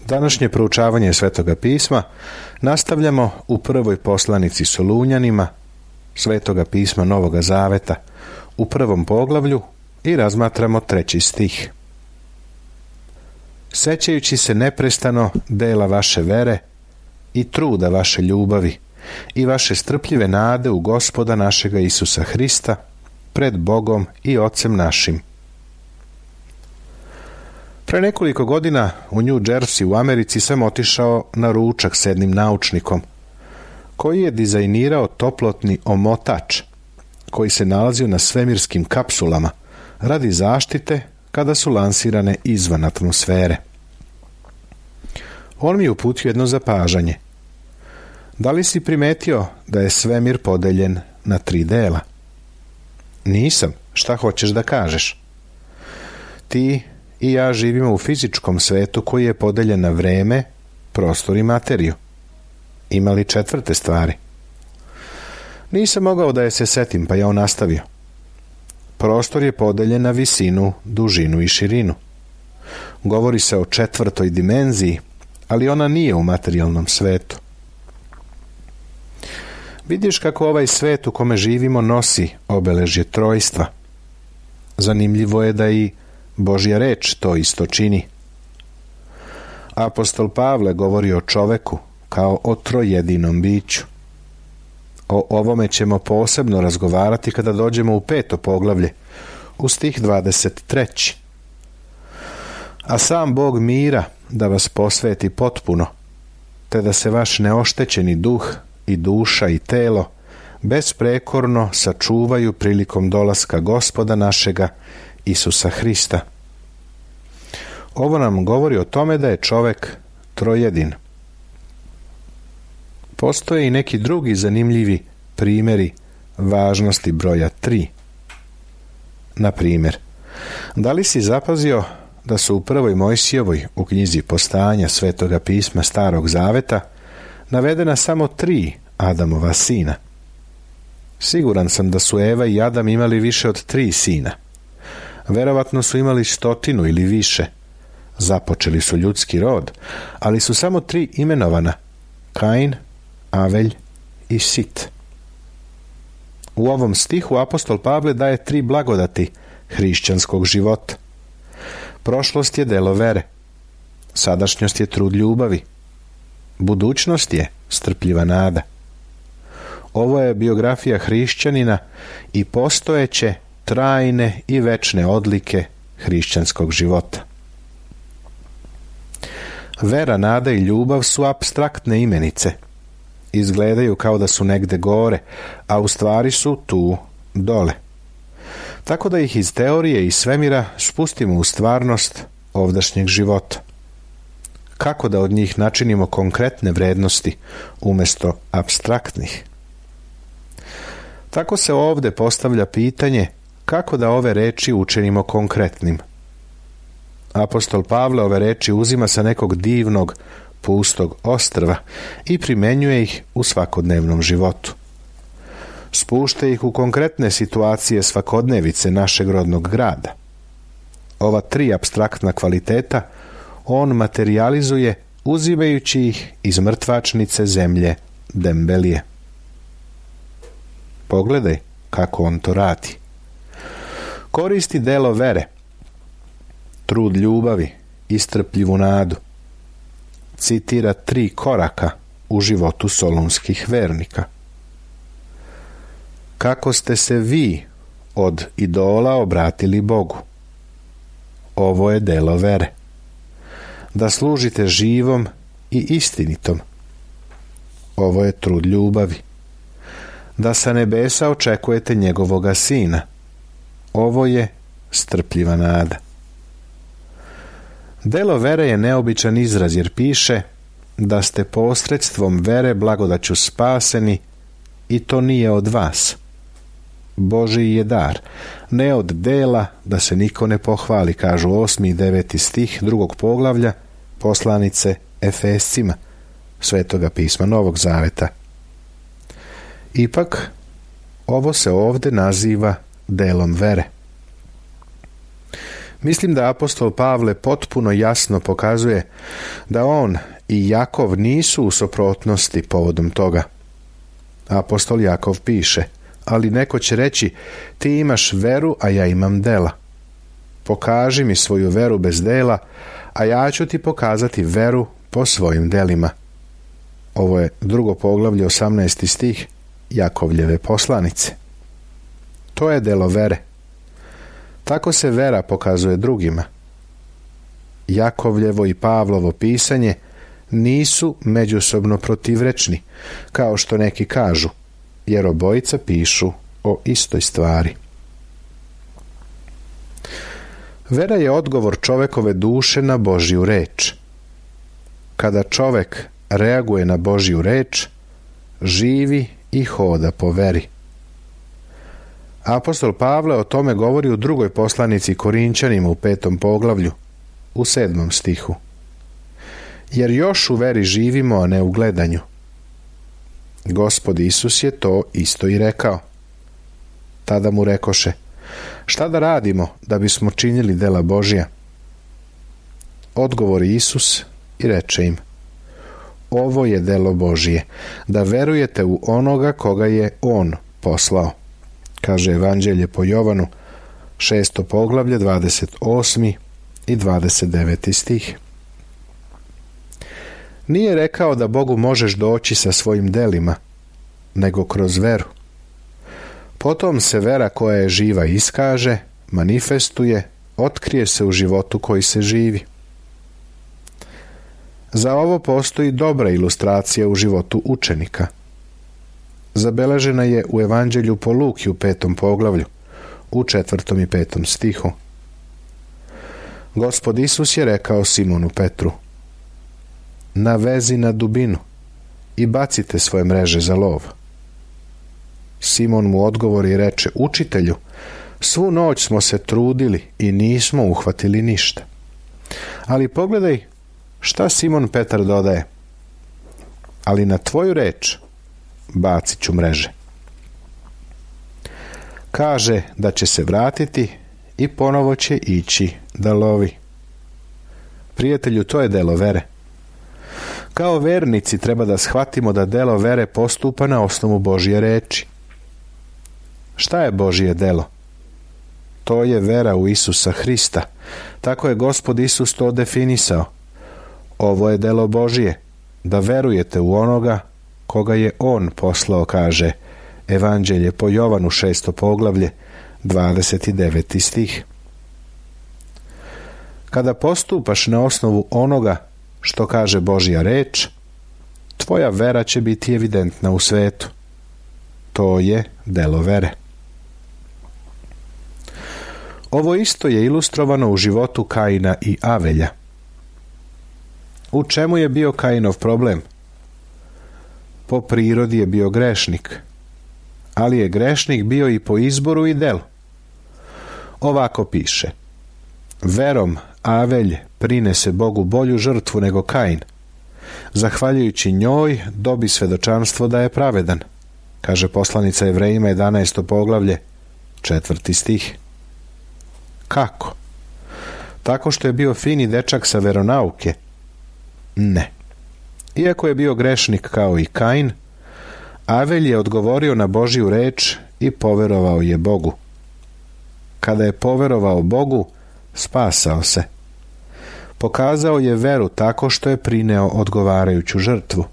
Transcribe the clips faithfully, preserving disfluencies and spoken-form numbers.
Današnje proučavanje Svetoga pisma nastavljamo u prvoj poslanici Solunjanima Svetoga pisma Novoga Zaveta u prvom poglavlju i razmatramo treći stih. Sećajući se neprestano dela vaše vere i truda vaše ljubavi i vaše strpljive nade u Gospoda našega Isusa Hrista pred Bogom i Ocem našim. Pre nekoliko godina u New Jersey u Americi sam otišao na ručak s jednim naučnikom koji je dizajnirao toplotni omotač koji se nalazio na svemirskim kapsulama radi zaštite kada su lansirane izvan atmosfere. On mi je uputio jedno zapažanje. Da li si primetio da je svemir podeljen na tri dela? Nisam. Šta hoćeš da kažeš? Ti i ja živimo u fizičkom svetu koji je podeljen na vreme, prostor i materiju. Ima li četvrte stvari? Nisam mogao da je se setim, pa ja on nastavio. Prostor je podeljen na visinu, dužinu i širinu. Govori se o četvrtoj dimenziji, ali ona nije u materijalnom svetu. Vidiš kako ovaj svet u kome živimo nosi obeležje trojstva. Zanimljivo je da i Božja reč to isto čini. Apostol Pavle govori o čoveku kao o trojedinom biću. O ovome ćemo posebno razgovarati kada dođemo u peto poglavlje, u stih dvadeset treći. A sam Bog mira da vas posveti potpuno, te da se vaš neoštećeni duh i duša i telo besprekorno sačuvaju prilikom dolaska Gospoda našega Isusa Hrista. Ovo nam govori o tome da je čovek trojedin. Postoje i neki drugi zanimljivi primjeri važnosti broja tri. Na primjer, da li si zapazio da su u prvoj Mojsijevoj u knjizi Postanja Svetoga pisma Starog Zaveta navedena samo tri Adamova sina? Siguran sam da su Eva i Adam imali više od tri sina. Verovatno su imali stotinu ili više. Započeli su ljudski rod, ali su samo tri imenovana: Kain, Avelj i Sit. U ovom stihu apostol Pavle daje tri blagodati hrišćanskog života. Prošlost je delo vere, sadašnjost je trud ljubavi, budućnost je strpljiva nada. Ovo je biografija hrišćanina i postojeće, trajne i večne odlike hrišćanskog života. Vera, nada i ljubav su apstraktne imenice. Izgledaju kao da su negde gore, a u stvari su tu dole. Tako da ih iz teorije i svemira spustimo u stvarnost ovdašnjeg života. Kako da od njih načinimo konkretne vrednosti umjesto apstraktnih? Tako se ovde postavlja pitanje kako da ove reči učinimo konkretnim. Apostol Pavle ove reči uzima sa nekog divnog, pustog ostrva i primenjuje ih u svakodnevnom životu. Spušta ih u konkretne situacije svakodnevice našeg rodnog grada. Ova tri apstraktna kvaliteta on materijalizuje uzimajući ih iz mrtvačnice zemlje Dembelije. Pogledaj kako on to radi. Koristi delo vere, trud ljubavi i strpljivu nadu. Citira tri koraka u životu solunskih vernika. Kako ste se vi od idola obratili Bogu? Ovo je delo vere. Da služite živom i istinitom. Ovo je trud ljubavi. Da sa nebesa očekujete njegovoga sina. Ovo je strpljiva nada. Delo vere je neobičan izraz jer piše da ste posredstvom vere blagodaću spaseni i to nije od vas. Božji je dar, ne od dela da se niko ne pohvali, kažu osmi i deveti stih drugog poglavlja poslanice Efescima Svetoga pisma Novog Zaveta. Ipak, ovo se ovde naziva delom vere. Mislim da apostol Pavle potpuno jasno pokazuje da on i Jakov nisu u suprotnosti povodom toga. Apostol Jakov piše: ali neko će reći, ti imaš veru, a ja imam dela. Pokaži mi svoju veru bez dela, a ja ću ti pokazati veru po svojim delima. Ovo je drugo poglavlje, osamnaesti stih Jakovljeve poslanice. To je delo vere. Tako se vera pokazuje drugima. Jakovljevo i Pavlovo pisanje nisu međusobno protivrečni, kao što neki kažu, jer obojica pišu o istoj stvari. Vera je odgovor čovekove duše na Božju reč. Kada čovek reaguje na Božju reč, živi i hoda po veri. Apostol Pavle o tome govori u drugoj poslanici Korinćanima u petom poglavlju, u sedmom stihu. Jer još u veri živimo, a ne u gledanju. Gospod Isus je to isto i rekao. Tada mu rekoše: šta da radimo da bismo činili dela Božja? Odgovori Isus i reče im: ovo je delo Božje, da verujete u onoga koga je On poslao. Kaže Evanđelje po Jovanu, šesto poglavlje, dvadeset osmi i dvadeset deveti stih. Nije rekao da Bogu možeš doći sa svojim delima, nego kroz veru. Potom se vera koja je živa iskaže, manifestuje, otkrije se u životu koji se živi. Za ovo postoji dobra ilustracija u životu učenika. Zabeležena je u Evanđelju po Luki u petom poglavlju, u četvrtom i petom stihu. Gospod Isus je rekao Simonu Petru: navezi na dubinu i bacite svoje mreže za lov. Simon mu odgovori i reče: učitelju, svu noć smo se trudili i nismo uhvatili ništa. Ali pogledaj šta Simon Petar dodaje: ali na tvoju reč bacit ću mreže. Kaže da će se vratiti i ponovo će ići da lovi. Prijatelju, to je delo vere. Kao vernici treba da shvatimo da delo vere postupa na osnovu Božje reči. Šta je Božje delo? To je vera u Isusa Hrista. Tako je Gospod Isus to definisao. Ovo je delo Božje, da verujete u onoga koga je On poslao, kaže Evanđelje po Jovanu, šesto poglavlje, dvadeset deveti stih. Kada postupaš na osnovu onoga što kaže Božja reč, tvoja vera će biti evidentna u svetu. To je delo vere. Ovo isto je ilustrovano u životu Kaina i Avelja. U čemu je bio Kainov problem? Po prirodi je bio grešnik, ali je grešnik bio i po izboru i delu. Ovako piše: verom Avelj prinese Bogu bolju žrtvu nego Kain. Zahvaljujući njoj dobi svedočanstvo da je pravedan, kaže poslanica Jevrejima, jedanaesto poglavlje, četvrti stih. Kako? Tako što je bio fini dečak sa veronauke? Ne. Iako je bio grešnik kao i Kain, Avelj je odgovorio na Božju reč i poverovao je Bogu. Kada je poverovao Bogu, spasao se. Pokazao je veru tako što je prineo odgovarajuću žrtvu.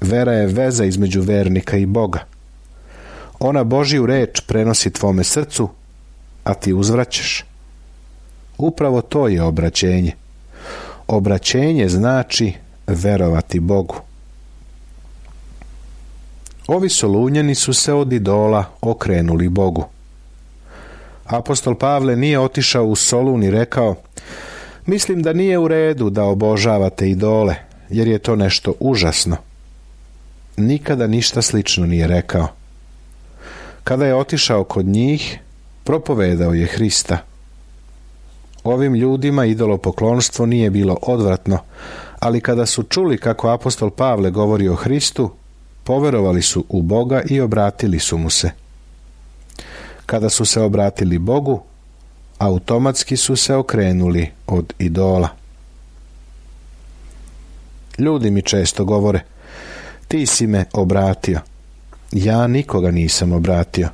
Vera je veza između vernika i Boga. Ona Božju reč prenosi tvome srcu, a ti uzvraćaš. Upravo to je obraćenje. Obraćenje znači verovati Bogu. Ovi Solunjani su se od idola okrenuli Bogu. Apostol Pavle nije otišao u Solun i rekao: mislim da nije u redu da obožavate idole, jer je to nešto užasno. Nikada ništa slično nije rekao. Kada je otišao kod njih, propovedao je Hrista. Ovim ljudima idolopoklonstvo nije bilo odvratno, ali kada su čuli kako apostol Pavle govori o Hristu, poverovali su u Boga i obratili su mu se. Kada su se obratili Bogu, automatski su se okrenuli od idola. Ljudi mi često govore: ti si me obratio. Ja nikoga nisam obratio.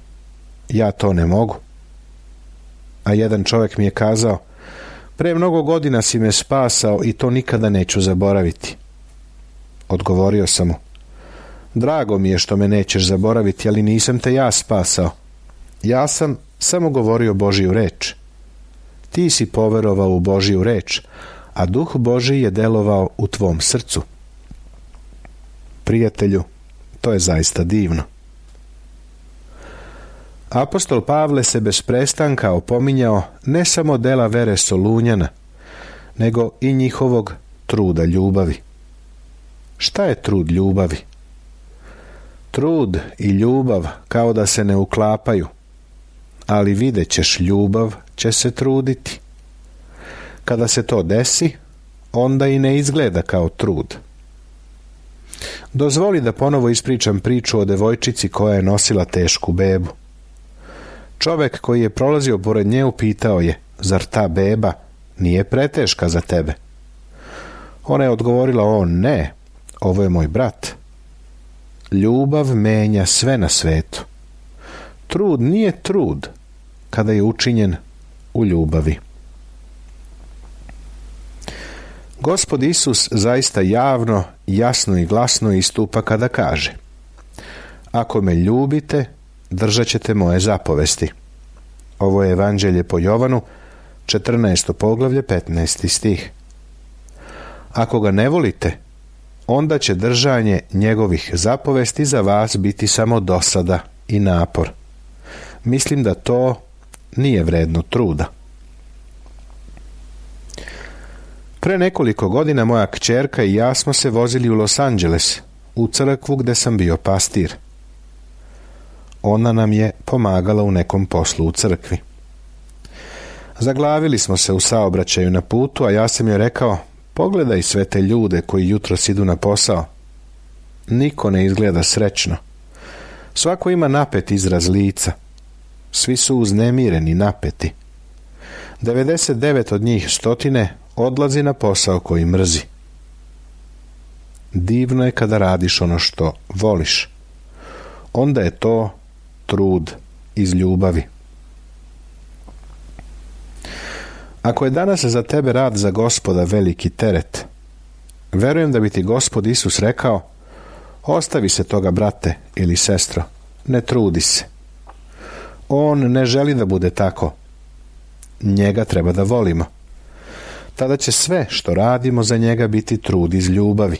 Ja to ne mogu. A jedan čovjek mi je kazao: pre mnogo godina si me spasao i to nikada neću zaboraviti. Odgovorio sam mu: drago mi je što me nećeš zaboraviti, ali nisam te ja spasao. Ja sam samo govorio Božiju reč. Ti si poverovao u Božiju reč, a Duh Božji je delovao u tvom srcu. Prijatelju, to je zaista divno. Apostol Pavle se bez prestanka opominjao ne samo dela vere Solunjana, nego i njihovog truda ljubavi. Šta je trud ljubavi? Trud i ljubav kao da se ne uklapaju, ali vidjet ćeš, ljubav će se truditi. Kada se to desi, onda i ne izgleda kao trud. Dozvoli da ponovo ispričam priču o devojčici koja je nosila tešku bebu. Čovjek koji je prolazio pored nje upitao je: zar ta beba nije preteška za tebe? Ona je odgovorila: o ne, ovo je moj brat. Ljubav menja sve na svetu. Trud nije trud kada je učinjen u ljubavi. Gospod Isus zaista javno, jasno i glasno istupa kada kaže: ako me ljubite, držat ćete moje zapovesti. Ovo je Evanđelje po Jovanu, četrnaesto poglavlje, petnaesti stih. Ako ga ne volite, onda će držanje njegovih zapovesti za vas biti samo dosada i napor. Mislim da to nije vredno truda. Pre nekoliko godina moja kćerka i ja smo se vozili u Los Angeles, u crkvu gde sam bio pastir. Ona nam je pomagala u nekom poslu u crkvi. Zaglavili smo se u saobraćaju na putu, a ja sam joj rekao: pogledaj sve te ljude koji jutros idu na posao. Niko ne izgleda srećno. Svako ima napet izraz lica. Svi su uznemireni, napeti. devedeset devet od njih stotine odlazi na posao koji mrzi. Divno je kada radiš ono što voliš. Onda je to trud iz ljubavi. Ako je danas za tebe rad za Gospoda veliki teret, verujem da bi ti Gospod Isus rekao: ostavi se toga, brate ili sestro, ne trudi se. On ne želi da bude tako. Njega treba da volimo. Tada će sve što radimo za njega biti trud iz ljubavi.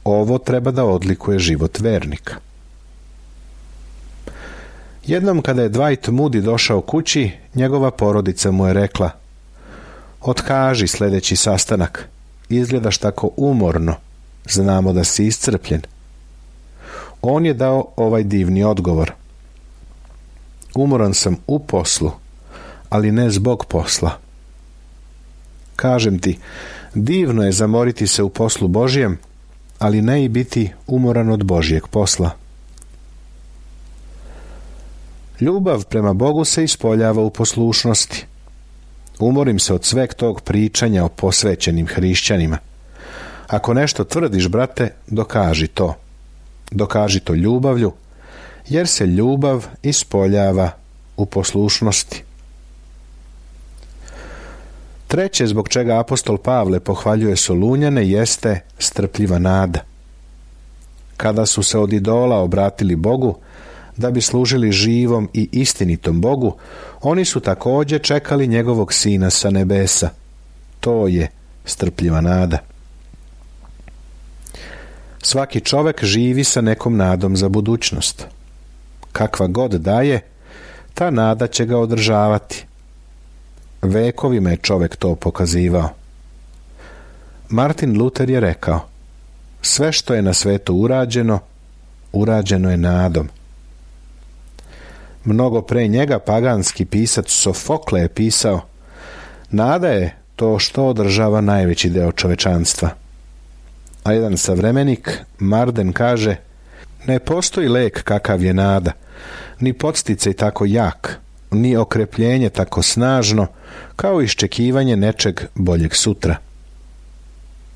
Ovo treba da odlikuje život vernika. Jednom kada je Dwight Moody došao kući, njegova porodica mu je rekla: otkaži sljedeći sastanak. Izgledaš tako umorno. Znamo da si iscrpljen. On je dao ovaj divni odgovor: umoran sam u poslu, ali ne zbog posla. Kažem ti, divno je zamoriti se u poslu Božjem, ali ne i biti umoran od Božjeg posla. Ljubav prema Bogu se ispoljava u poslušnosti. Umorim se od sveg tog pričanja o posvećenim hrišćanima. Ako nešto tvrdiš, brate, dokaži to. Dokaži to ljubavlju, jer se ljubav ispoljava u poslušnosti. Treće zbog čega apostol Pavle pohvaljuje Solunjane jeste strpljiva nada. Kada su se od idola obratili Bogu da bi služili živom i istinitom Bogu, oni su također čekali njegovog sina sa nebesa. To je strpljiva nada. Svaki čovjek živi sa nekom nadom za budućnost. Kakva god daje, ta nada će ga održavati. Vekovima je čovjek to pokazivao. Martin Luther je rekao: sve što je na svetu urađeno, urađeno je nadom. Mnogo pre njega paganski pisac Sofokle je pisao: nada je to što održava najveći deo čovečanstva. A jedan savremenik, Marden, kaže: ne postoji lek kakav je nada, ni podsticaj tako jak, ni okrepljenje tako snažno kao iščekivanje nečeg boljeg sutra.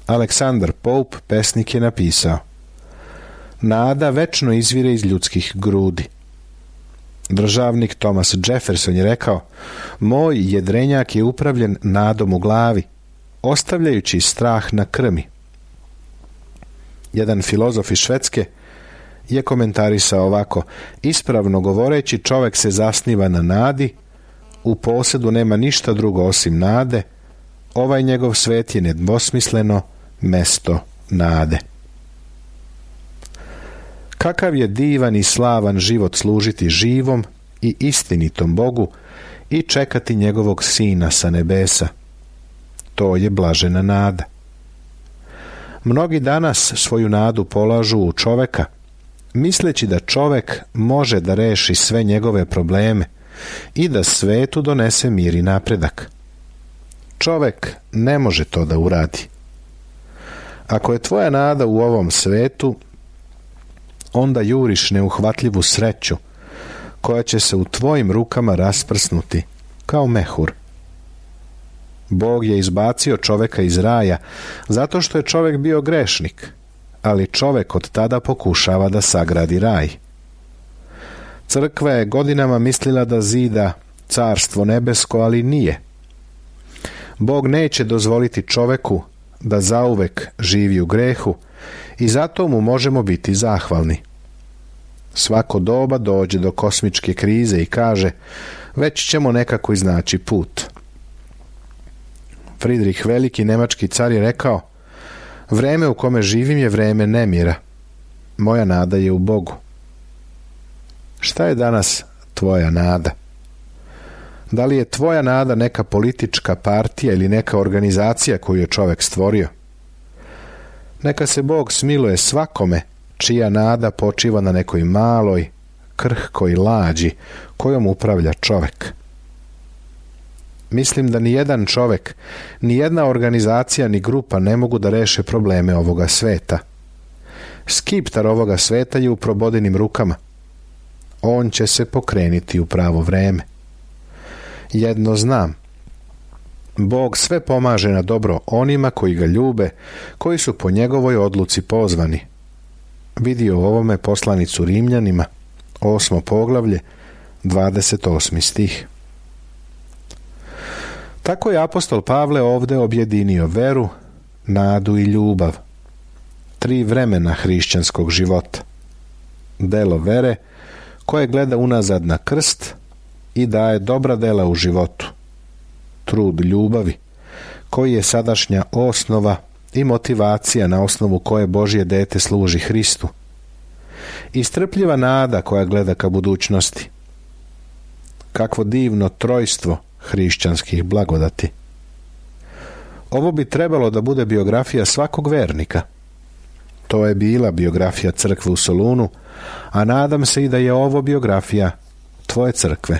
Aleksandar Pope, pesnik, je napisao: nada večno izvire iz ljudskih grudi. Državnik Thomas Jefferson je rekao: moj jedrenjak je upravljen nadom u glavi, ostavljajući strah na krmi. Jedan filozof iz Švedske je komentarisao ovako: ispravno govoreći, čovjek se zasniva na nadi, u posjedu nema ništa drugo osim nade, ovaj njegov svet je nedvosmisleno mesto nade. Kakav je divan i slavan život služiti živom i istinitom Bogu i čekati njegovog Sina sa nebesa. To je blažena nada. Mnogi danas svoju nadu polažu u čoveka, misleći da čovek može da reši sve njegove probleme i da svetu donese mir i napredak. Čovek ne može to da uradi. Ako je tvoja nada u ovom svetu, onda juriš neuhvatljivu sreću koja će se u tvojim rukama rasprsnuti kao mehur. Bog je izbacio čoveka iz raja zato što je čovek bio grešnik, ali čovek od tada pokušava da sagradi raj. Crkva je godinama mislila da zida carstvo nebesko, ali nije. Bog neće dozvoliti čoveku da zauvek živi u grehu i zato mu možemo biti zahvalni. Svako doba dođe do kosmičke krize i kaže: već ćemo nekako iznaći put. Fridrih Veliki, nemački car, je rekao: vreme u kome živim je vreme nemira. Moja nada je u Bogu. Šta je danas tvoja nada? Da li je tvoja nada neka politička partija ili neka organizacija koju je čovjek stvorio? Neka se Bog smiluje svakome čija nada počiva na nekoj maloj, krhkoj lađi kojom upravlja čovjek. Mislim da ni jedan čovjek, ni jedna organizacija ni grupa ne mogu da reše probleme ovoga sveta. Skiptar ovoga sveta je u probodinim rukama. On će se pokreniti u pravo vreme. Jedno znam: Bog sve pomaže na dobro onima koji ga ljube, koji su po njegovoj odluci pozvani. Vidio u ovome poslanicu Rimljanima, osmo poglavlje, dvadeset osmi stih. Tako je apostol Pavle ovdje objedinio veru, nadu i ljubav. Tri vremena hrišćanskog života. Delo vere, koje gleda unazad na krst i daje dobra dela u životu. Trud ljubavi, koji je sadašnja osnova i motivacija na osnovu koje Božje dete služi Hristu. I strpljiva nada koja gleda ka budućnosti. Kakvo divno trojstvo hrišćanskih blagodati. Ovo bi trebalo da bude biografija svakog vernika. To je bila biografija crkve u Solunu, a nadam se i da je ovo biografija tvoje crkve.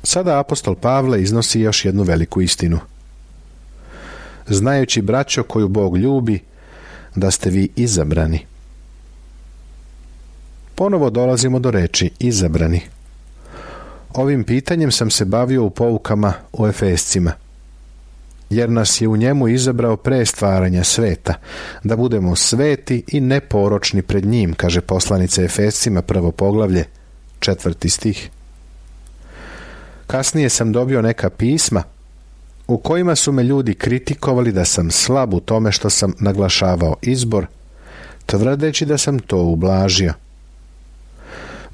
Sada apostol Pavle iznosi još jednu veliku istinu. Znajući, braćo, koju Bog ljubi, da ste vi izabrani. Ponovo dolazimo do reči izabrani. Ovim pitanjem sam se bavio u poukama u Efescima. Jer nas je u njemu izabrao pre stvaranja sveta, da budemo sveti i neporočni pred njim, kaže poslanica Efescima, prvo poglavlje, četvrti stih. Kasnije sam dobio neka pisma u kojima su me ljudi kritikovali da sam slab u tome što sam naglašavao izbor, tvrdeći da sam to ublažio.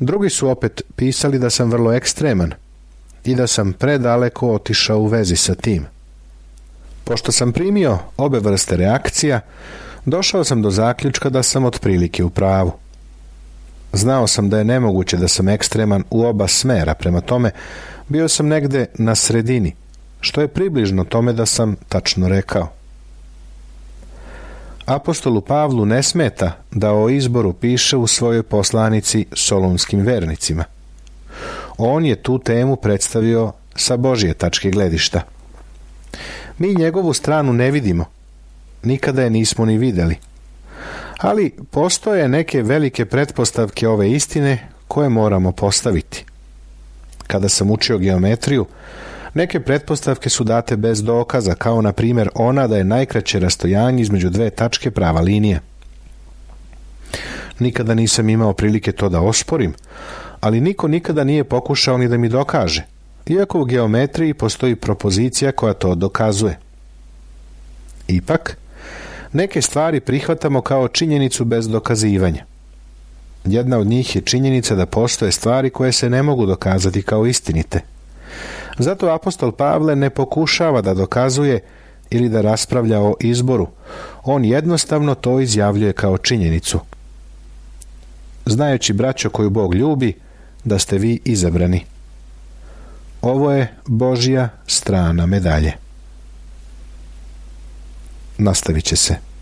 Drugi su opet pisali da sam vrlo ekstreman i da sam predaleko otišao u vezi sa tim. Pošto sam primio obe vrste reakcija, došao sam do zaključka da sam otprilike u pravu. Znao sam da je nemoguće da sam ekstreman u oba smera, prema tome bio sam negde na sredini, što je približno tome da sam tačno rekao. Apostolu Pavlu ne smeta da o izboru piše u svojoj poslanici solunskim vernicima. On je tu temu predstavio sa Božje tačke gledišta. Mi njegovu stranu ne vidimo, nikada je nismo ni videli. Ali postoje neke velike pretpostavke ove istine koje moramo postaviti. Kada sam učio geometriju, neke pretpostavke su date bez dokaza, kao na primjer ona da je najkraće rastojanje između dve tačke prava linija. Nikada nisam imao prilike to da osporim, ali niko nikada nije pokušao ni da mi dokaže, iako u geometriji postoji propozicija koja to dokazuje. Ipak, neke stvari prihvatamo kao činjenicu bez dokazivanja. Jedna od njih je činjenica da postoje stvari koje se ne mogu dokazati kao istinite. Zato apostol Pavle ne pokušava da dokazuje ili da raspravlja o izboru. On jednostavno to izjavljuje kao činjenicu. Znajući, braćo, koju Bog ljubi, da ste vi izabrani. Ovo je Božja strana medalje. Nastavit će se.